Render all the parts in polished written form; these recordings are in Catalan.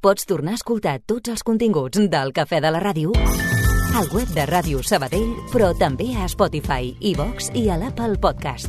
Pots tornar a escoltar tots els continguts del Cafè de la Ràdio al web de Ràdio Sabadell, però també a Spotify, iVox i a l'Apple Podcast.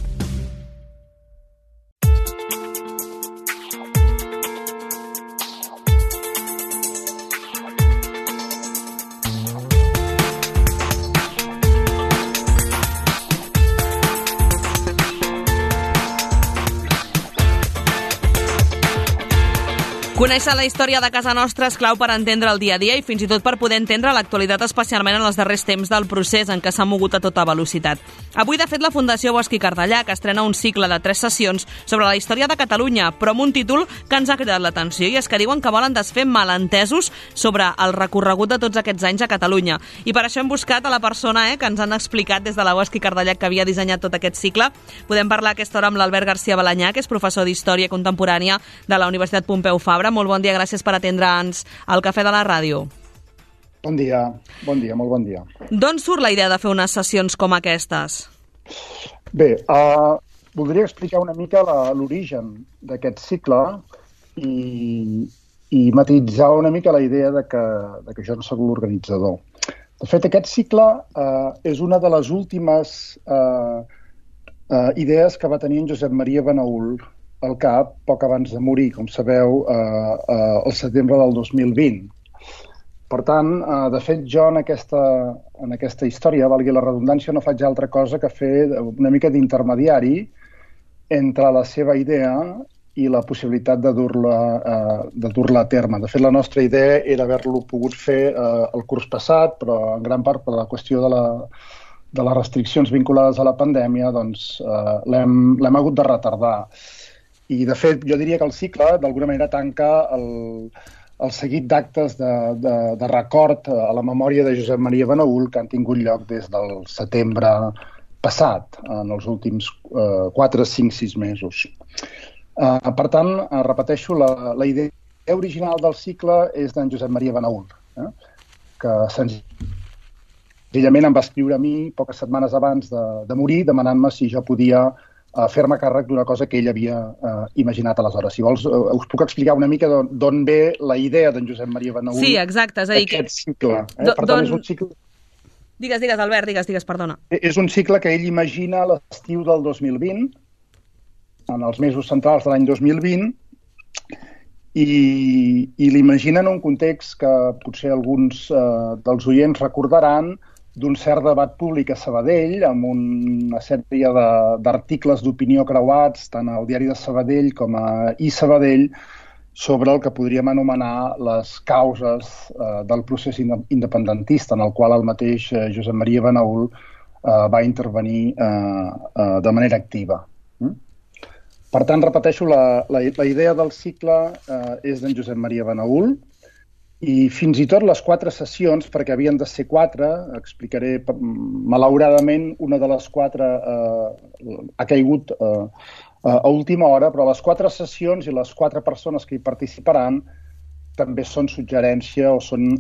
Conèixer la història de casa nostra és clau per entendre el dia a dia i fins i tot per poder entendre l'actualitat, especialment en els darrers temps del procés en què s'ha mogut a tota velocitat. Avui, de fet, la Fundació Bosch i Cardellà, que estrena un cicle de 3 sessions sobre la història de Catalunya, però amb un títol que ens ha cridat l'atenció, i és que diuen que volen desfer malentesos sobre el recorregut de tots aquests anys a Catalunya. I per això hem buscat a la persona que ens han explicat des de la Bosch i Cardellà que havia dissenyat tot aquest cicle. Podem parlar a aquesta hora amb l'Albert García Balanyà, que és professor d'Història Contemporània de la Universitat Pompeu Fabra. Molt bon dia, gràcies per atendre'ns al Cafè de la Ràdio. Bon dia, molt bon dia. D'on surt la idea de fer unes sessions com aquestes? Bé, voldria explicar una mica l'origen d'aquest cicle i matisar una mica la idea de que jo no soc l'organitzador. De fet, aquest cicle és una de les últimes idees que va tenir en Josep Maria Benaül al cap poc abans de morir, com sabeu, al setembre del 2020. Per tant, de fet, jo en aquesta història, valgui la redundància, no faig altra cosa que fer una mica d'intermediari entre la seva idea i la possibilitat de dur-la a terme. De fet, la nostra idea era haver-lo pogut fer el curs passat, però en gran part per la qüestió de les restriccions vinculades a la pandèmia, doncs l'hem hagut de retardar. I, de fet, jo diria que el cicle, d'alguna manera, tanca el seguit d'actes de record a la memòria de Josep Maria Benaül que han tingut lloc des del setembre passat, en els últims 4, 5, 6 mesos. Per tant, repeteixo, la idea original del cicle és d'en Josep Maria Benaül, que senzillament em va escriure a mi poques setmanes abans de morir demanant-me si jo podia fer-me càrrec d'una cosa que ell havia imaginat aleshores. Si vols, us puc explicar una mica d'on ve la idea d'en Josep Maria Benaül. Sí, exacte. És a dir, aquest cicle. Per tant, és un cicle... Digues, Albert, digues, perdona. És un cicle que ell imagina a l'estiu del 2020, en els mesos centrals de l'any 2020, i l'imagina en un context que potser alguns dels oients recordaran d'un cert debat públic a Sabadell, amb una sèrie d'articles d'opinió creuats, tant al diari de Sabadell com a iSabadell, sobre el que podríem anomenar les causes del procés independentista, en el qual el mateix Josep Maria Benaül va intervenir de manera activa. Per tant, repeteixo, la idea del cicle és d'en Josep Maria Benaül, i fins i tot les 4 sessions, perquè havien de ser 4, explicaré, malauradament, una de les 4 ha caigut a última hora, però les 4 sessions i les 4 persones que hi participaran també són suggerència o són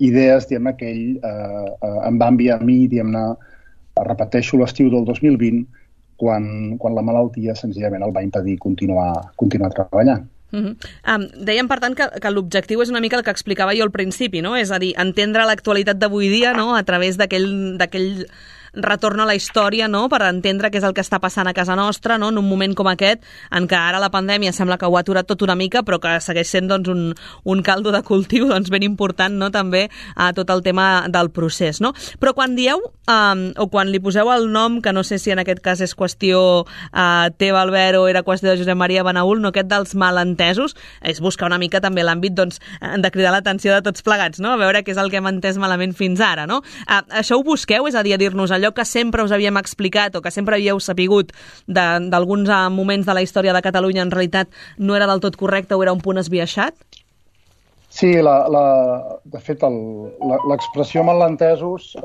idees, diguem-ne, que ell em va enviar a mi, diguem-ne, repeteixo, l'estiu del 2020, quan la malaltia senzillament el va impedir continuar treballant. Dèiem, per tant, que l'objectiu és una mica el que explicava jo al principi, no? És a dir, entendre l'actualitat d'avui dia, no?, a través d'aquell retorn a la història, no?, per entendre què és el que està passant a casa nostra, no?, en un moment com aquest, en què ara la pandèmia sembla que ho ha aturat tot una mica, però que segueix sent, doncs, un caldo de cultiu, doncs, ben important, no?, també a tot el tema del procés, no? Però quan dieu, o quan li poseu el nom, que no sé si en aquest cas és qüestió teva, Albert, o era qüestió de Josep Maria Benaül, no?, aquest dels malentesos, és buscar una mica també l'àmbit, doncs, de cridar l'atenció de tots plegats, no?, a veure què és el que hem entès malament fins ara, no? Això ho busqueu, és a dir, a dir-nos allò que sempre us havíem explicat o que sempre havíeu sapigut d'alguns moments de la història de Catalunya en realitat no era del tot correcte o era un punt esbiaixat? Sí, de fet, l'expressió malentesos,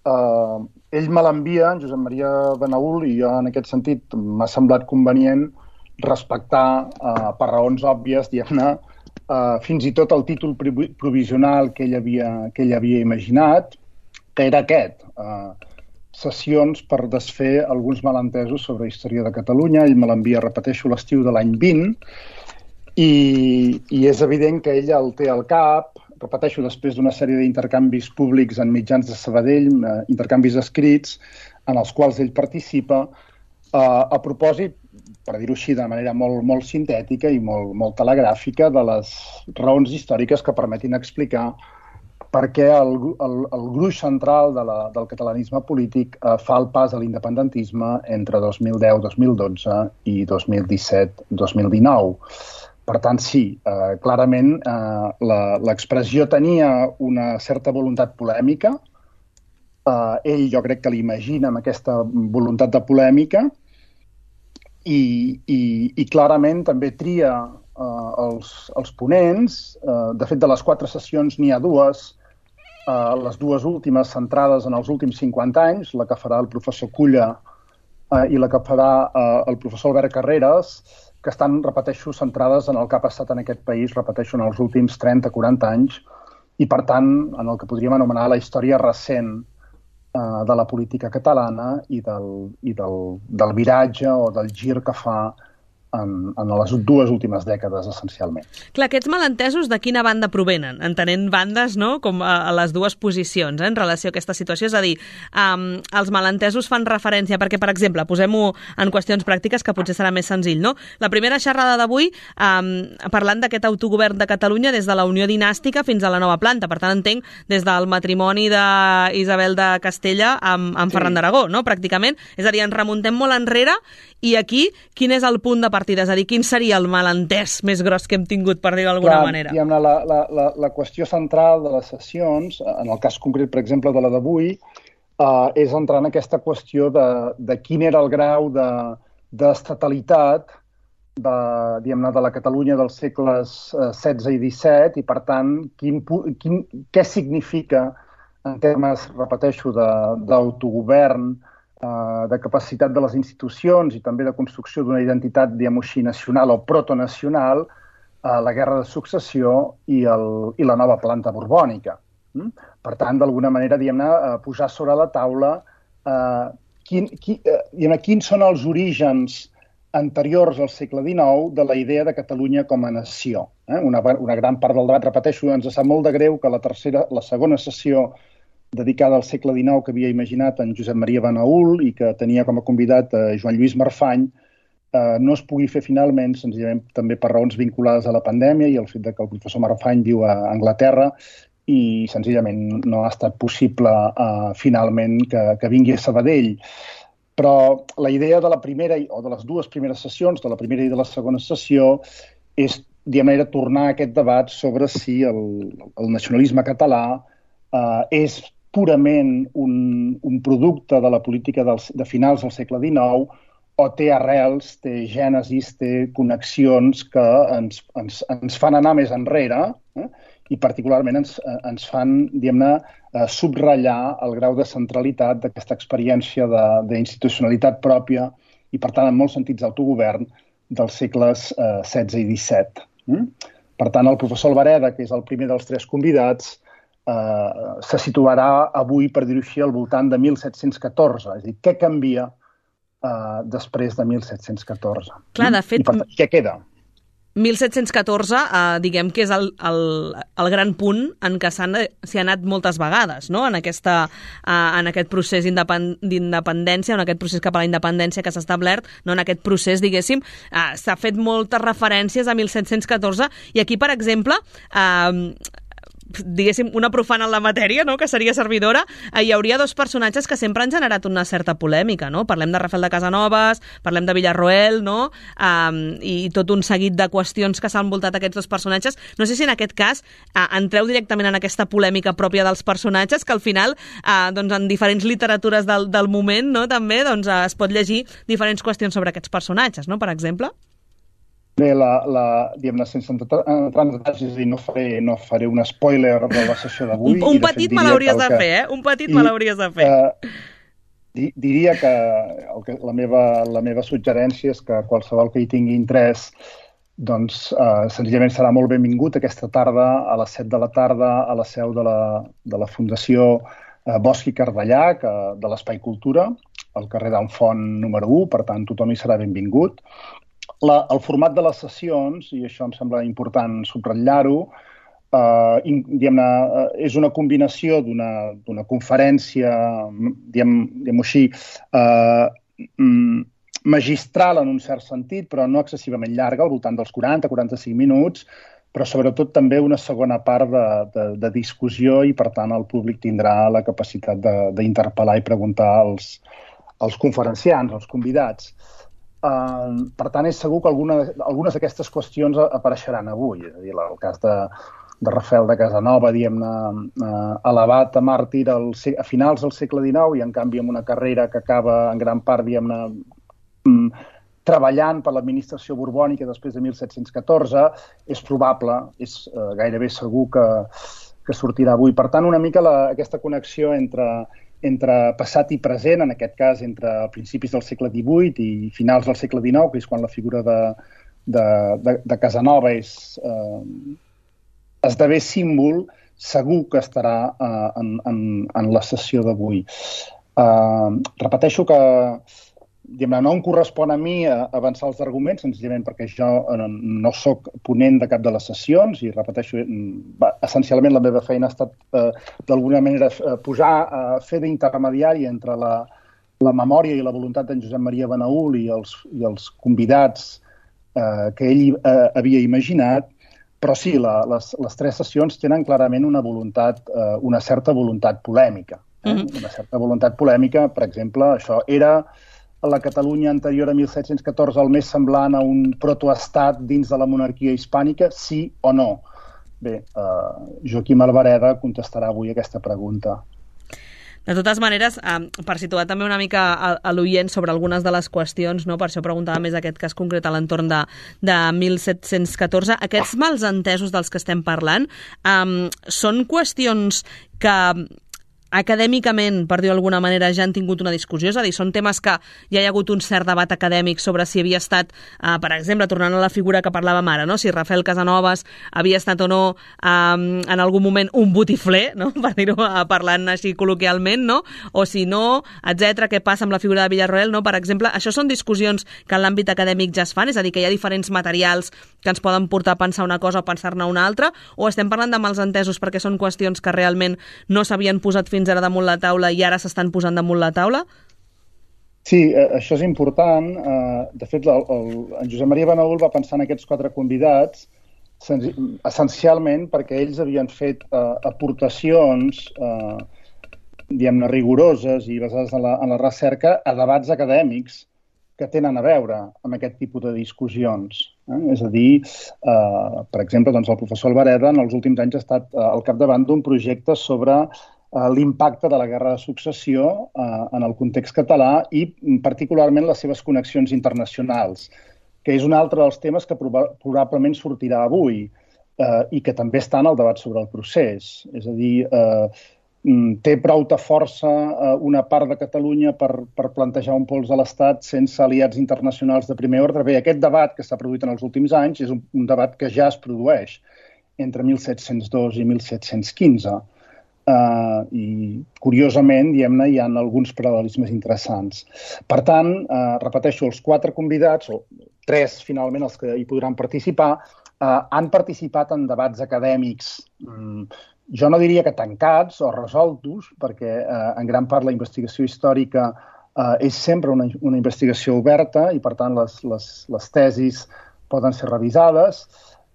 ell me l'envia, en Josep Maria Benaül, i jo en aquest sentit m'ha semblat convenient respectar, per raons òbvies, diguem-ne, fins i tot el títol provisional que ell havia imaginat, que era aquest, sessions per desfer alguns malentesos sobre la història de Catalunya. Ell me l'envia, repeteixo, l'estiu de l'any 20, i és evident que ella el té al cap, repeteixo, després d'una sèrie d'intercanvis públics en mitjans de Sabadell, intercanvis escrits, en els quals ell participa, a propòsit, per dir-ho així de manera molt sintètica i molt telegràfica, de les raons històriques que permetin explicar per què el gruix central del catalanisme polític fa el pas a l'independentisme entre 2010, 2012 i 2017-2019. Per tant, sí, clarament l'expressió tenia una certa voluntat polèmica. Ell jo crec que l'imagina amb aquesta voluntat de polèmica i clarament també tria els ponents. De fet, de les 4 sessions n'hi ha 2, les 2 últimes centrades en els últims 50 anys, la que farà el professor Culla i la que farà el professor Albert Carreras, que estan, repeteixo, centrades en el que ha passat en aquest país, repeteixo, en els últims 30-40 anys, i per tant, en el que podríem anomenar la història recent de la política catalana i del viratge o del gir que fa en les 2 últimes dècades, essencialment. Clar, aquests malentesos de quina banda provenen? Entenent bandes, no?, com a les 2 posicions en relació a aquesta situació. És a dir, els malentesos fan referència, perquè, per exemple, posem-ho en qüestions pràctiques que potser serà més senzill, no? La primera xerrada d'avui, parlant d'aquest autogovern de Catalunya des de la Unió Dinàstica fins a la nova planta. Per tant, entenc des del matrimoni d'Isabel de Castella amb Ferran d'Aragó, no?, pràcticament. És a dir, ens remuntem molt enrere i aquí, quin és el punt de partida? És a dir, quin seria el malentès més gros que hem tingut, per dir-ho d'alguna manera? La qüestió central de les sessions, en el cas concret, per exemple, de la d'avui, és entrar en aquesta qüestió de quin era el grau d'estatalitat de la Catalunya dels segles XVI i XVII i, per tant, què significa en termes, repeteixo, d'autogovern, de capacitat de les institucions i també de construcció d'una identitat, diguem-ho així, nacional o protonacional, la Guerra de Successió i la nova planta borbònica. Per tant, d'alguna manera, diguem-ne, posar sobre la taula quins són els orígens anteriors al segle XIX de la idea de Catalunya com a nació. Una gran part del debat, repeteixo, ens sap molt de greu que la segona sessió dedicada al segle XIX que havia imaginat en Josep Maria Benaül i que tenia com a convidat Joan Lluís Marfany, no es pugui fer finalment, senzillament també per raons vinculades a la pandèmia i el fet que el professor Marfany viu a Anglaterra i senzillament no ha estat possible finalment que vingui a Sabadell. Però la idea de la primera o de les 2 primeres sessions, de la primera i de la segona sessió, és, diguem-ne, tornar a aquest debat sobre si el nacionalisme català és purament un producte de la política de finals del segle XIX o té arrels, té gènesis, té connexions que ens fan anar més enrere i particularment ens fan, diguem-ne, subratllar el grau de centralitat d'aquesta experiència d'institucionalitat pròpia i, per tant, en molts sentits d'autogovern dels segles XVI i XVII. Per tant, el professor Albareda, que és el primer dels 3 convidats, se situarà avui, per dir-ho així, al voltant de 1714. És a dir, què canvia després de 1714? Clar, de fet, i per tant, què queda? 1714, diguem que és el gran punt en què s'hi ha anat moltes vegades, no?, en aquest procés d'independència, en aquest procés cap a la independència que s'ha establert, no?, en aquest procés, diguéssim, s'ha fet moltes referències a 1714 i aquí, per exemple, diguéssim, una profana en la matèria, no?, que seria servidora, hi hauria 2 personatges que sempre han generat una certa polèmica, no? Parlem de Rafael de Casanovas, parlem de Villarroel, no?, i tot un seguit de qüestions que s'han envoltat aquests 2 personatges. No sé si en aquest cas entreu directament en aquesta polèmica pròpia dels personatges, que al final, doncs, en diferents literatures del moment, no?, també, doncs, es pot llegir diferents qüestions sobre aquests personatges, no?, per exemple. Bé, diguem-ne, sense entrar en detalls, és a dir, no faré un spoiler de la sessió d'avui. Un petit me l'hauries de fer, Un petit me l'hauries de fer. Diria que la meva suggerència és que qualsevol que hi tingui interès, doncs, senzillament serà molt benvingut aquesta tarda a les 7 de la tarda a la seu de la Fundació Bosch i Cardellà, de l'Espai Cultura, al carrer d'Enfont número 1, per tant, tothom hi serà benvingut. el format de les sessions, i això em sembla important subratllar-ho, és una combinació d'una conferència, diguem-ho així, magistral en un cert sentit, però no excessivament llarga, al voltant dels 40-45 minuts, però sobretot també una segona part de discussió i, per tant, el públic tindrà la capacitat d'interpel·lar i preguntar als conferenciants, als convidats. Per tant, és segur que algunes d'aquestes qüestions apareixeran avui. És a dir, el cas de Rafael de Casanova, diguem-ne, elevat a màrtir a finals del segle XIX i, en canvi, amb una carrera que acaba en gran part, diguem-ne, treballant per l'administració borbònica després de 1714, és probable, és gairebé segur que sortirà avui. Per tant, una mica aquesta connexió entre passat i present, en aquest cas entre principis del segle XVIII i finals del segle XIX, que és quan la figura de Casanova esdevé símbol, segur que estarà en la sessió d'avui. Repeteixo que no em correspon a mi avançar els arguments, senzillament perquè jo no soc ponent de cap de les sessions i, repeteixo, essencialment la meva feina ha estat, d'alguna manera, fer d'intermediari entre la memòria i la voluntat d'en Josep Maria Benaül i els convidats que ell havia imaginat, però sí, les tres sessions tenen clarament una certa voluntat polèmica. Una certa voluntat polèmica, per exemple, això era a la Catalunya anterior a 1714 el més semblant a un protoestat dins de la monarquia hispànica, sí o no? Bé, Joaquim Albareda contestarà avui aquesta pregunta. De totes maneres, per situar també una mica a l'oient sobre algunes de les qüestions, no? Per això preguntava més aquest cas concret a l'entorn de 1714, aquests malsentesos dels que estem parlant són qüestions que acadèmicament, per dir-ho d'alguna manera, ja han tingut una discussió? És a dir, són temes que ja hi ha hagut un cert debat acadèmic sobre si havia estat, per exemple, tornant a la figura que parlàvem ara, no? Si Rafael Casanovas havia estat o no en algun moment un botifler, no? Per dir-ho parlant així col·loquialment, no? O si no, etc. Què passa amb la figura de Villarroel, no? Per exemple, això són discussions que en l'àmbit acadèmic ja es fan, és a dir, que hi ha diferents materials que ens poden portar a pensar una cosa o pensar-ne una altra, o estem parlant de malsentesos perquè són qüestions que realment no s'havien posat fins ara damunt la taula i ara s'estan posant damunt la taula? Sí, això és important. De fet, en Josep Maria Benaül va pensar en aquests 4 convidats essencialment perquè ells havien fet aportacions diguem-ne rigoroses i basades en la recerca a debats acadèmics que tenen a veure amb aquest tipus de discussions. És a dir, per exemple, el professor Albareda en els últims anys ha estat al capdavant d'un projecte sobre l'impacte de la Guerra de Successió en el context català i particularment les seves connexions internacionals, que és un altre dels temes que probablement sortirà avui i que també està en el debat sobre el procés. És a dir, té prou de força una part de Catalunya per plantejar un pols a l'Estat sense aliats internacionals de primer ordre. Bé, aquest debat que s'ha produït en els últims anys és un debat que ja es produeix entre 1702 i 1715. I, curiosament, diguem-ne, hi ha alguns paral·lelismes interessants. Per tant, repeteixo, els 4 convidats, o 3 finalment els que hi podran participar, han participat en debats acadèmics, jo no diria que tancats o resoltos, perquè en gran part la investigació històrica és sempre una investigació oberta i, per tant, les tesis poden ser revisades,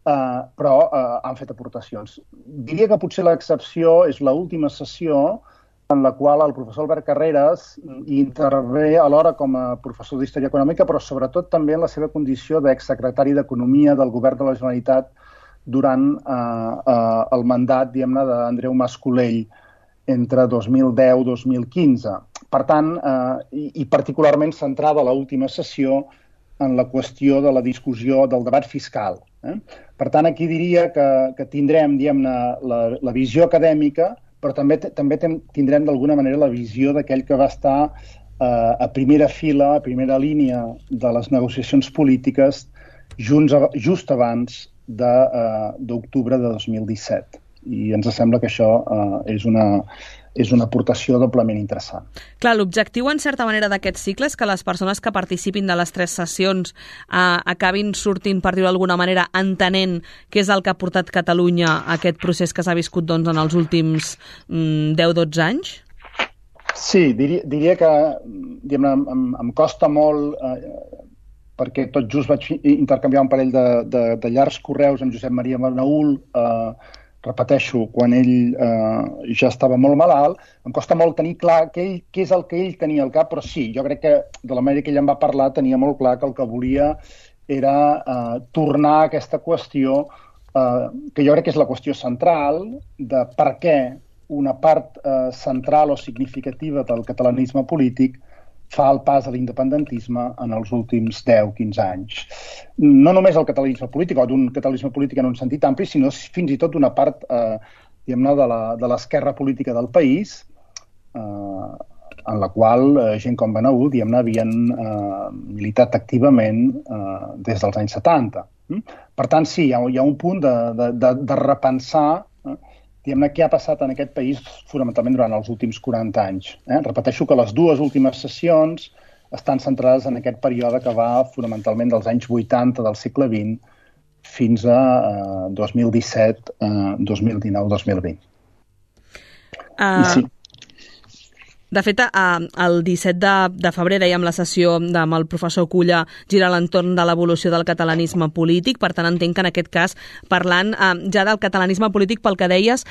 però han fet aportacions. Diria que potser l'excepció és l'última sessió en la qual el professor Albert Carreras intervé alhora com a professor d'Història Econòmica, però sobretot també en la seva condició d'exsecretari d'Economia del Govern de la Generalitat durant el mandat, diguem-ne, d'Andreu Mas Colell entre 2010 i 2015. Per tant, i particularment centrada l'última sessió en la qüestió de la discussió del debat fiscal. Per tant, aquí diria que tindrem, diguem-ne, la visió acadèmica, però també tindrem d'alguna manera la visió d'aquell que va estar a primera fila, a primera línia de les negociacions polítiques just abans d'octubre de 2017. i ens sembla que això és una aportació doblement interessant. Clar, l'objectiu, en certa manera, d'aquest cicle és que les persones que participin de les 3 sessions acabin sortint, per dir-ho d'alguna manera, entenent què és el que ha portat Catalunya a aquest procés que s'ha viscut doncs, en els últims 10-12 anys? Sí, diria que em costa molt, perquè tot just vaig intercanviar un parell de llargs correus amb Josep Maria Benaül, repeteixo, quan ell ja estava molt malalt, em costa molt tenir clar què és el que ell tenia al cap, però sí, jo crec que de la manera que ell em va parlar tenia molt clar que el que volia era tornar a aquesta qüestió, que jo crec que és la qüestió central, de per què una part central o significativa del catalanisme polític fa el pas a l'independentisme en els últims 10-15 anys. No només el catalanisme polític, o d'un catalanisme polític en un sentit ampli, sinó fins i tot d'una part de l'esquerra política del país, en la qual gent com Benaül havien militat activament des dels anys 70. Per tant, sí, hi ha un punt de repensar què ha passat en aquest país fonamentalment durant els últims 40 anys. Repeteixo que les 2 últimes sessions estan centrades en aquest període que va fonamentalment dels anys 80 del segle XX fins a 2017, 2019, 2020. I sí. De fet, el 17 de febrer, dèiem, la sessió amb el professor Culla gira a l'entorn de l'evolució del catalanisme polític. Per tant, entenc que en aquest cas, parlant ja del catalanisme polític, pel que deies,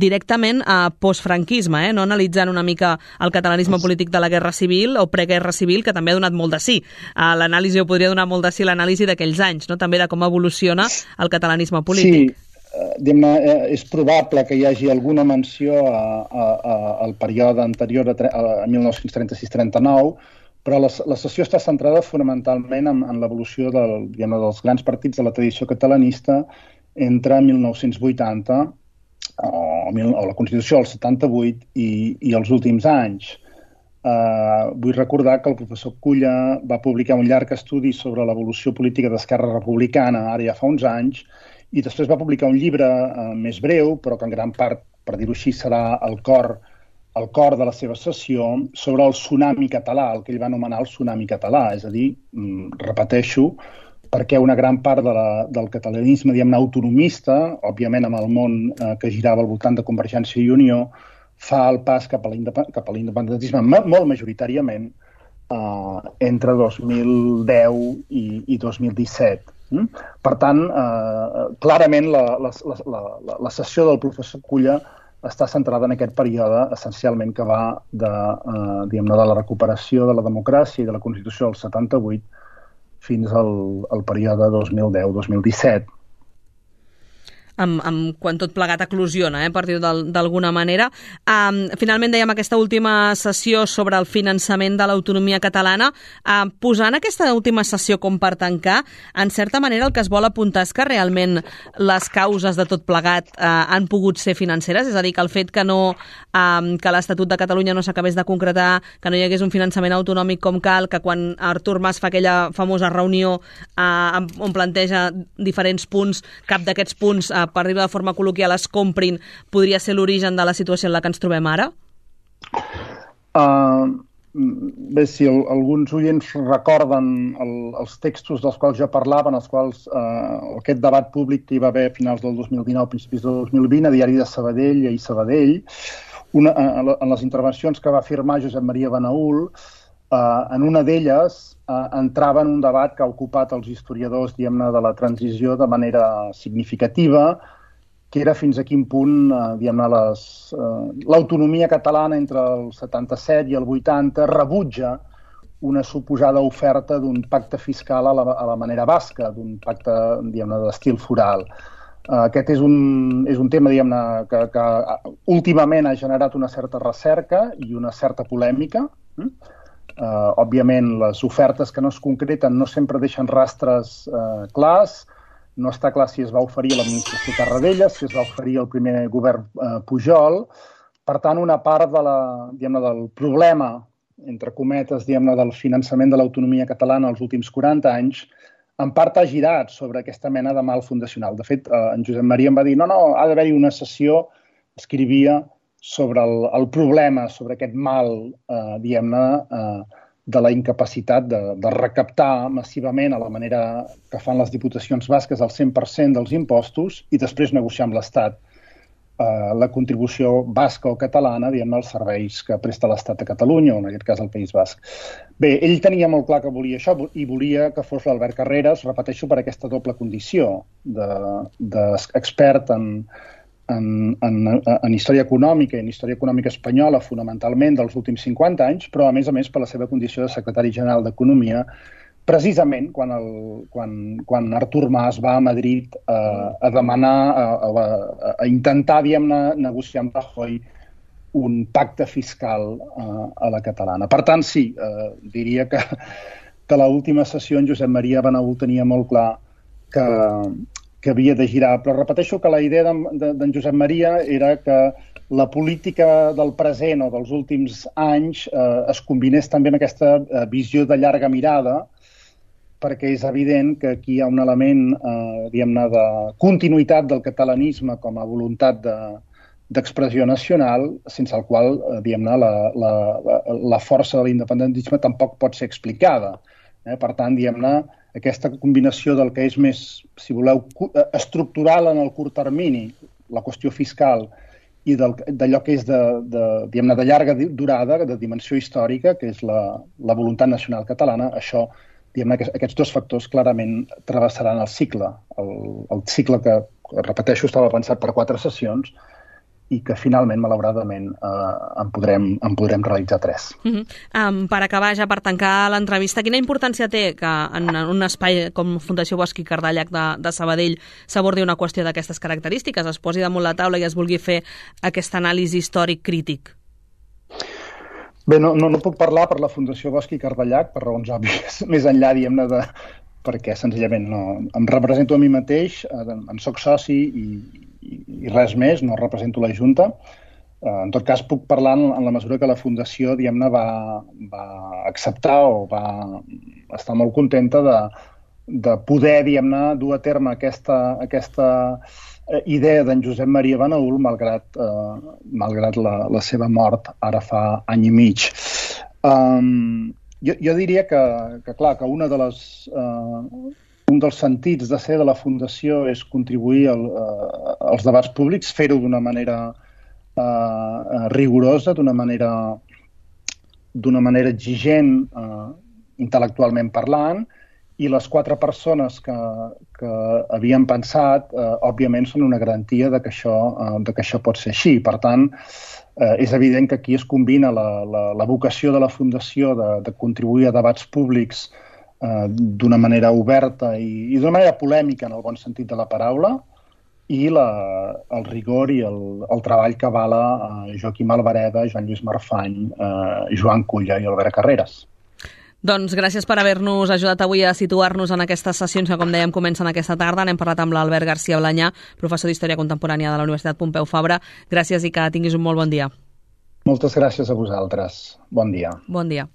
directament postfranquisme, no analitzant una mica el catalanisme polític de la Guerra Civil o preguerra civil, que també ha donat molt de sí. L'anàlisi, o podria donar molt de sí l'anàlisi d'aquells anys, no? També de com evoluciona el catalanisme polític. Sí. És probable que hi hagi alguna menció al període anterior a 1936-39, però la sessió està centrada fonamentalment en l'evolució dels grans partits de la tradició catalanista entre 1980 o la Constitució del 78 i els últims anys. Vull recordar que el professor Culla va publicar un llarg estudi sobre l'evolució política d'Esquerra Republicana, ara ja fa uns anys, i després va publicar un llibre més breu, però que en gran part, per dir-ho així, serà el cor de la seva sessió, sobre el tsunami català, el que ell va anomenar el tsunami català. És a dir, repeteixo, perquè una gran part del catalanisme, autonomista, òbviament amb el món que girava al voltant de Convergència i Unió, fa el pas cap a l'independentisme molt majoritàriament entre 2010 i 2017. Per tant, clarament la sessió del professor Culla està centrada en aquest període essencialment que va de la recuperació de la democràcia i de la Constitució del 78 fins al període 2010-2017. Quan tot plegat eclosiona, per dir-ho d'alguna manera. Finalment dèiem aquesta última sessió sobre el finançament de l'autonomia catalana. Posant aquesta última sessió com per tancar, en certa manera el que es vol apuntar és que realment les causes de tot plegat han pogut ser financeres, és a dir, que el fet que l'Estatut de Catalunya no s'acabés de concretar, que no hi hagués un finançament autonòmic com cal, que quan Artur Mas fa aquella famosa reunió on planteja diferents punts, cap d'aquests punts per dir-ho de forma col·loquial, es comprin, podria ser l'origen de la situació en la que ens trobem ara? Bé, si alguns oients recorden els textos dels quals jo parlava, en els quals aquest debat públic que hi va haver a finals del 2019, principis del 2020, a Diari de Sabadell i Sabadell, en les intervencions que va firmar Josep Maria Benaül, en una d'elles entrava en un debat que ha ocupat els historiadors, de la transició de manera significativa, que era fins a quin punt, l'autonomia catalana entre el 77 i el 80 rebutja una suposada oferta d'un pacte fiscal a la manera basca, d'un pacte, d'estil foral. Aquest és un tema, que últimament ha generat una certa recerca i una certa polèmica. Òbviament, les ofertes que no es concreten no sempre deixen rastres clars. No està clar si es va oferir a l'administració Tarradellas, si es va oferir al primer govern Pujol. Per tant, una part del problema, entre cometes, del finançament de l'autonomia catalana els últims 40 anys en part ha girat sobre aquesta mena de mal fundacional. De fet, en Josep Maria em va dir no, ha d'haver-hi una sessió, escrivia, sobre el problema, sobre aquest mal, diguem-ne, de la incapacitat de recaptar massivament a la manera que fan les diputacions basques el 100% dels impostos i després negociar amb l'Estat la contribució basca o catalana, diguem-ne, als serveis que presta l'Estat a Catalunya, o en aquest cas al País Basc. Bé, ell tenia molt clar que volia això i volia que fos l'Albert Carreras, repeteixo, per aquesta doble condició d'expert en història econòmica i en història econòmica espanyola, fonamentalment dels últims 50 anys, però a més per la seva condició de secretari general d'Economia, precisament quan Artur Mas va a Madrid a demanar, a intentar, diguem-ne, negociar amb Rajoy un pacte fiscal a la catalana. Per tant, sí, diria que a l'última sessió en Josep Maria Benaúl tenia molt clar que havia de girar. Però repeteixo que la idea d'en Josep Maria era que la política del present o dels últims anys es combinés també amb aquesta visió de llarga mirada, perquè és evident que aquí hi ha un element, diguem-ne, de continuïtat del catalanisme com a voluntat d'expressió nacional, sense el qual, diguem-ne, la força de l'independentisme tampoc pot ser explicada. Per tant, diguem-ne, aquesta combinació del que és més, si voleu, estructural en el curt termini, la qüestió fiscal, i d'allò que és diguem-ne, de llarga durada, de dimensió històrica, que és la voluntat nacional catalana, això, diguem-ne, aquests dos factors clarament travessaran el cicle. El cicle que, repeteixo, estava pensat per 4 sessions i que finalment, malauradament, en podrem realitzar 3. Per acabar, ja per tancar l'entrevista, quina importància té que en un espai com Fundació Bosch i Cardellac de Sabadell s'abordi una qüestió d'aquestes característiques, es posi damunt la taula i es vulgui fer aquesta anàlisi històric crític? Bé, no puc parlar per la Fundació Bosch i Cardellac, per raons òbvies, més enllà, diguem-ne, perquè senzillament em represento a mi mateix, en soc soci i res més, no represento la Junta. En tot cas, puc parlar en la mesura que la Fundació, diguem-ne, va acceptar o va estar molt contenta de poder, diguem-ne, dur a terme aquesta idea d'en Josep Maria Benaúl, malgrat la seva mort ara fa any i mig. Jo diria que un dels sentits de ser de la Fundació és contribuir als debats públics, fer-ho d'una manera rigorosa, d'una manera exigent intel·lectualment parlant, i les 4 persones que havien pensat, òbviament, són una garantia que això pot ser així. Per tant, és evident que aquí es combina la vocació de la Fundació de contribuir a debats públics d'una manera oberta i d'una manera polèmica, en el bon sentit de la paraula, i el rigor i el treball que avala Joaquim Albareda, Joan Lluís Marfany, Joan Culla i Albert Carreras. Doncs gràcies per haver-nos ajudat avui a situar-nos en aquestes sessions que, com dèiem, comencen aquesta tarda. N'hem parlat amb l'Albert García Blanyà, professor d'Història Contemporània de la Universitat Pompeu Fabra. Gràcies i que tinguis un molt bon dia. Moltes gràcies a vosaltres. Bon dia. Bon dia.